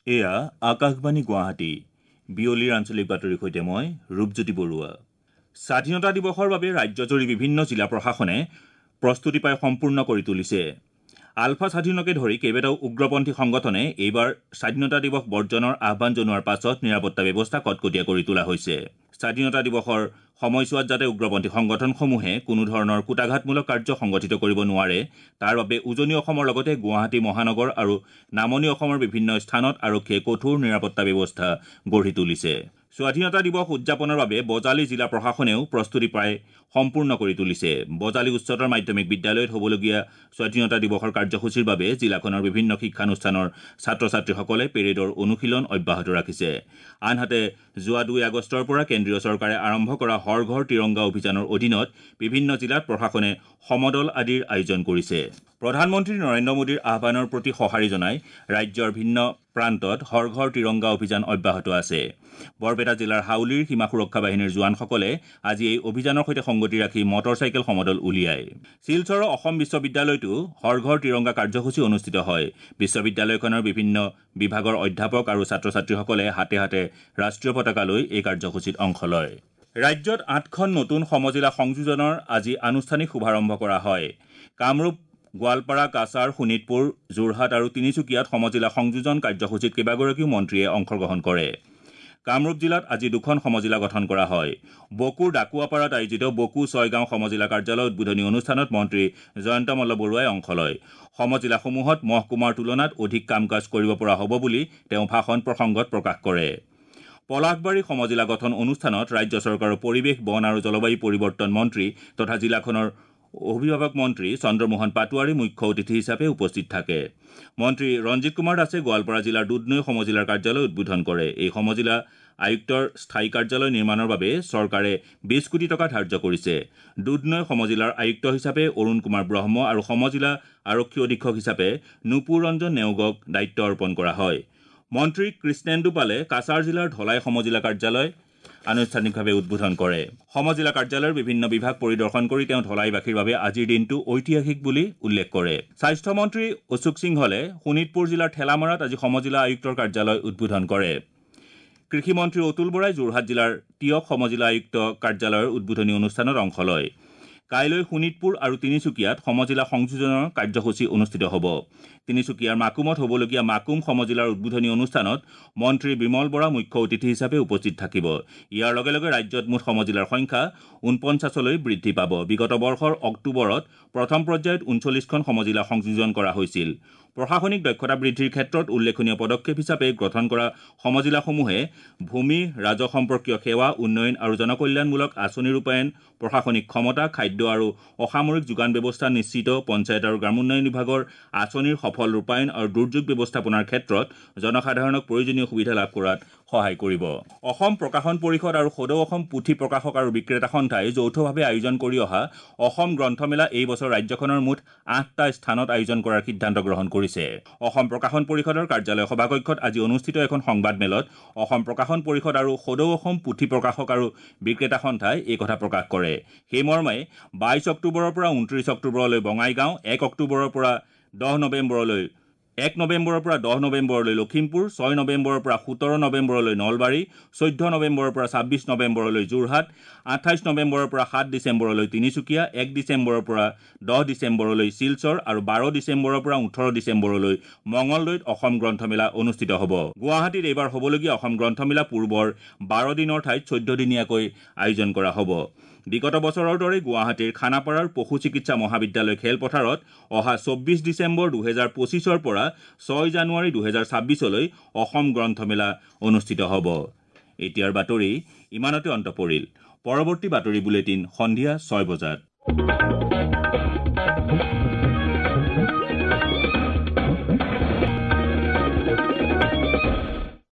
এয়া আকাশবাণী গুৱাহাটী। বিয়লিৰ আঞ্চলিক বাতৰিৰ সৈতে মই ৰূপজ্যোতি বৰুৱা। স্বাধীনতা দিৱসৰ বাবে ৰাজ্যজুৰি বিভিন্ন জিলা প্ৰশাসনে প্ৰস্তুতি প্ৰায় সম্পূৰ্ণ কৰি তুলিছে। আলফা স্বাধীনকে ধৰি কেইবাটাও উগ্ৰপন্থী সংগঠনে এইবাৰ স্বাধীনতা দিৱস বৰ্জনৰ আহ্বান জনোৱাৰ পাছত নিৰাপত্তা ব্যৱস্থা কটকটীয়া কৰি তোলা হৈছে। স্বাধীনতা দিৱসৰ সময়ছোৱাত যাতে উগ্ৰপন্থী সংগঠনসমূহে কোনো ধৰণৰ কূটাঘাতমূলক কাৰ্য সংগঠিত কৰিব নোৱাৰে তাৰ বাবে উজনি অসমৰ লগতে গুৱাহাটী মহানগৰ আৰু নামনি অসমৰ বিভিন্ন স্থানত আৰক্ষীয়ে কঠোৰ নিৰাপত্তা ব্যৱস্থা গঢ়ি তুলিছে। স্বাধীনতা দিৱস উদযাপনৰ বাবে বজালী জিলা প্ৰশাসনেও প্ৰস্তুতি প্ৰায় সম্পূৰ্ণ কৰি তুলিছে। বজালী উচ্চতৰ মাধ্যমিক বিদ্যালয়ত হ'বলগীয়া স্বাধীনতা দিৱসৰ কাৰ্যসূচীৰ বাবে জিলাখনৰ বিভিন্ন শিক্ষানুষ্ঠানৰ ছাত্ৰ ছাত্ৰীসকলে পেৰেডৰ অনুশীলন অব্যাহত ৰাখিছে। আনহাতে যোৱা 2 আগষ্টৰ পৰা কেন্দ্ৰীয় চৰকাৰে আৰম্ভ কৰা হৰ ঘৰ তিৰংগা অভিযানৰ অধীনত বিভিন্ন জিলাত প্ৰশাসনে সমদল আদিৰ আয়োজন কৰিছে। প্ৰধানমন্ত্ৰী নৰেন্দ্ৰ মোদীৰ আহ্বানৰ প্ৰতি সঁহাৰি জনাই ৰাজ্যৰ ভিন্ন প্ৰান্তত হৰ ঘৰ তিৰংগা অভিযান অব্যাহত আছে। বৰপেটা জিলাৰ হাউলীৰ সীমা সুৰক্ষা বাহিনীৰ জোৱানসকলে আজি এই অভিযানৰ সৈতে সংগতি ৰাখি মটৰ চাইকেল সমদল উলিয়ায়। শিলচৰৰ অসম বিশ্ববিদ্যালয়তো হৰ ঘৰ তিৰংগা কাৰ্যসূচী অনুষ্ঠিত হয়। বিশ্ববিদ্যালয়খনৰ বিভিন্ন বিভাগৰ অধ্যাপক আৰু ছাত্ৰ ছাত্ৰীসকলে হাতে হাতে ৰাষ্ট্ৰীয় পতাকা লৈ এই কাৰ্যসূচীত অংশ লয়। ৰাজ্যত 8খন নতুন সমজিলা সংযোজনৰ আজি আনুষ্ঠানিক শুভাৰম্ভ কৰা হয়। কামৰূপ, গোৱালপাৰা, কাছাৰ, শোণিতপুৰ, যোৰহাট আৰু তিনিচুকীয়াত সমজিলা সংযোজন কাৰ্যসূচীত কেইবাগৰাকীও মন্ত্ৰীয়ে অংশগ্ৰহণ কৰে। কামৰূপ জিলাত আজি 2খন সমজিলা গঠন কৰা হয়। বকুৰ ডাকুৱাপাৰাত আয়োজিত বকু ছয়গাঁও সমজিলা কাৰ্যালয় উদ্বোধনী অনুষ্ঠানত মন্ত্ৰী জয়ন্ত মল্ল বৰুৱাই অংশ লয়। সমজিলাসমূহত মহকুমাৰ তুলনাত অধিক কাম কাজ কৰিব পৰা হ'ব বুলি তেওঁ ভাষণ প্ৰসংগত প্ৰকাশ কৰে। পলাশবাৰী সমজিলা গঠন অনুষ্ঠানত ৰাজ্য চৰকাৰৰ পৰিৱেশ, বন আৰু জলবায়ু পৰিৱৰ্তন মন্ত্ৰী তথা জিলাখনৰ অভিভাৱক মন্ত্ৰী চন্দ্ৰমোহন পাটোৱাৰী মুখ্য অতিথি হিচাপে উপস্থিত থাকে। মন্ত্ৰী ৰঞ্জিত কুমাৰ দাসে গোৱালপাৰা জিলাৰ দুধনৈ সমজিলাৰ কাৰ্যালয় উদ্বোধন কৰে। এই সমজিলা আয়ুক্তৰ স্থায়ী কাৰ্যালয় নিৰ্মাণৰ বাবে চৰকাৰে 20 কোটি টকা ধাৰ্য কৰিছে। দুধনৈ সমজিলাৰ আয়ুক্ত হিচাপে অৰুণ কুমাৰ ব্ৰহ্ম আৰু সমজিলা আৰক্ষী অধীক্ষক হিচাপে নুপুৰ ৰঞ্জন নেওগক দায়িত্ব অৰ্পণ কৰা হয়। মন্ত্ৰী কৃষ্ণেন্দু পালে কাছাৰ জিলাৰ ধলাই সমজিলা কাৰ্যালয় আনুষ্ঠানিকভাৱে উদ্বোধন কৰে। সমজিলা কাৰ্যালয়ৰ বিভিন্ন বিভাগ পৰিদৰ্শন কৰি তেওঁ ধলাইবাসীৰ বাবে আজিৰ দিনটো ঐতিহাসিক বুলি উল্লেখ কৰে। স্বাস্থ্যমন্ত্ৰী অশোক সিংহলে শোণিতপুৰ জিলাৰ ঠেলামাৰাত আজি সমজিলা আয়ুক্তৰ কাৰ্যালয় উদ্বোধন কৰে। কৃষিমন্ত্ৰী অতুল বৰাই যোৰহাট জিলাৰ টিয়ক সমজিলা আয়ুক্ত কাৰ্যালয়ৰ উদ্বোধনী অনুষ্ঠানত অংশ লয়। কাইলৈ শোণিতপুৰ আৰু তিনিচুকীয়াত সমজিলা সংযোজনৰ কাৰ্যসূচী অনুষ্ঠিত হ'ব। তিনিচুকীয়াৰ মাকুমত হ'বলগীয়া মাকুম সমজিলাৰ উদ্বোধনী অনুষ্ঠানত মন্ত্ৰী বিমল বৰা মুখ্য অতিথি হিচাপে উপস্থিত থাকিব। ইয়াৰ লগে লগে ৰাজ্যত মুঠ সমজিলাৰ সংখ্যা 49লৈ বৃদ্ধি পাব। বিগত বৰ্ষৰ অক্টোবৰত প্ৰথম পৰ্যায়ত 39খন সমজিলা সংযোজন কৰা হৈছিল। প্ৰশাসনিক দক্ষতা বৃদ্ধিৰ ক্ষেত্ৰত উল্লেখনীয় পদক্ষেপ হিচাপে গঠন কৰা সমজিলাসমূহে ভূমি, ৰাজহ সম্পৰ্কীয় সেৱা, উন্নয়ন আৰু জনকল্যাণমূলক আঁচনি ৰূপায়ণ, প্ৰশাসনিক ক্ষমতা, খাদ্য আৰু অসামৰিক যোগান ব্যৱস্থা নিশ্চিত, পঞ্চায়ত আৰু গ্ৰামোন্নয়ন বিভাগৰ আঁচনিৰ সফল ৰূপায়ণ আৰু দুৰ্যোগ ব্যৱস্থাপনাৰ ক্ষেত্ৰত জনসাধাৰণক প্ৰয়োজনীয় সুবিধা লাভ কৰাত সহায় কৰিব। অসম প্ৰকাশন পৰিষদ আৰু সদৌ অসম পুথি প্ৰকাশক আৰু বিক্ৰেতা সন্থাই যৌথভাৱে আয়োজন কৰি অহা অসম গ্ৰন্থমেলা এই বছৰ ৰাজ্যখনৰ মুঠ 8টা স্থানত আয়োজন কৰাৰ সিদ্ধান্ত গ্ৰহণ কৰিছে। অসম প্ৰকাশন পৰিষদৰ কাৰ্যালয় সভাকক্ষত আজি অনুষ্ঠিত এখন সংবাদমেলত অসম প্ৰকাশন পৰিষদ আৰু সদৌ অসম পুথি প্ৰকাশক আৰু বিক্ৰেতা সন্থাই এই কথা প্ৰকাশ কৰে। সেই মৰ্মে 22 অক্টোবৰৰ পৰা 29 অক্টোবৰলৈ বঙাইগাঁও, 1 অক্টোবৰৰ পৰা 10 নৱেম্বৰলৈ 1 নৱেম্বৰৰ পৰা 10 নৱেম্বৰলৈ লখিমপুৰ, 6 নৱেম্বৰৰ পৰা 17 নৱেম্বৰলৈ নলবাৰী, 14 নৱেম্বৰৰ পৰা 26 নৱেম্বৰলৈ যোৰহাট, 28 নৱেম্বৰৰ পৰা 7 ডিচেম্বৰলৈ তিনিচুকীয়া, 1 ডিচেম্বৰৰ পৰা 10 ডিচেম্বৰলৈ শিলচৰ আৰু 12 ডিচেম্বৰৰ পৰা 18 ডিচেম্বৰলৈ মঙলদৈত অসম গ্ৰন্থমেলা অনুষ্ঠিত হ'ব। গুৱাহাটীত এইবাৰ হ'বলগীয়া অসম গ্ৰন্থমেলা পূৰ্বৰ 12 দিনৰ ঠাইত 14 দিনীয়াকৈ আয়োজন কৰা হ'ব। বিগত বছৰৰ দৰে গুৱাহাটীৰ খানাপাৰাৰ পশু চিকিৎসা মহাবিদ্যালয় খেলপথাৰত অহা 24 ডিচেম্বৰ 2025ৰ পৰা 6 জানুৱাৰী 2026লৈ অসম গ্ৰন্থমেলা অনুষ্ঠিত হ'ব। এতিয়াৰ বাতৰি ইমানতে অন্ত পৰিল। পৰৱৰ্তী বাতৰি বুলেটিন সন্ধিয়া 6 বজাত।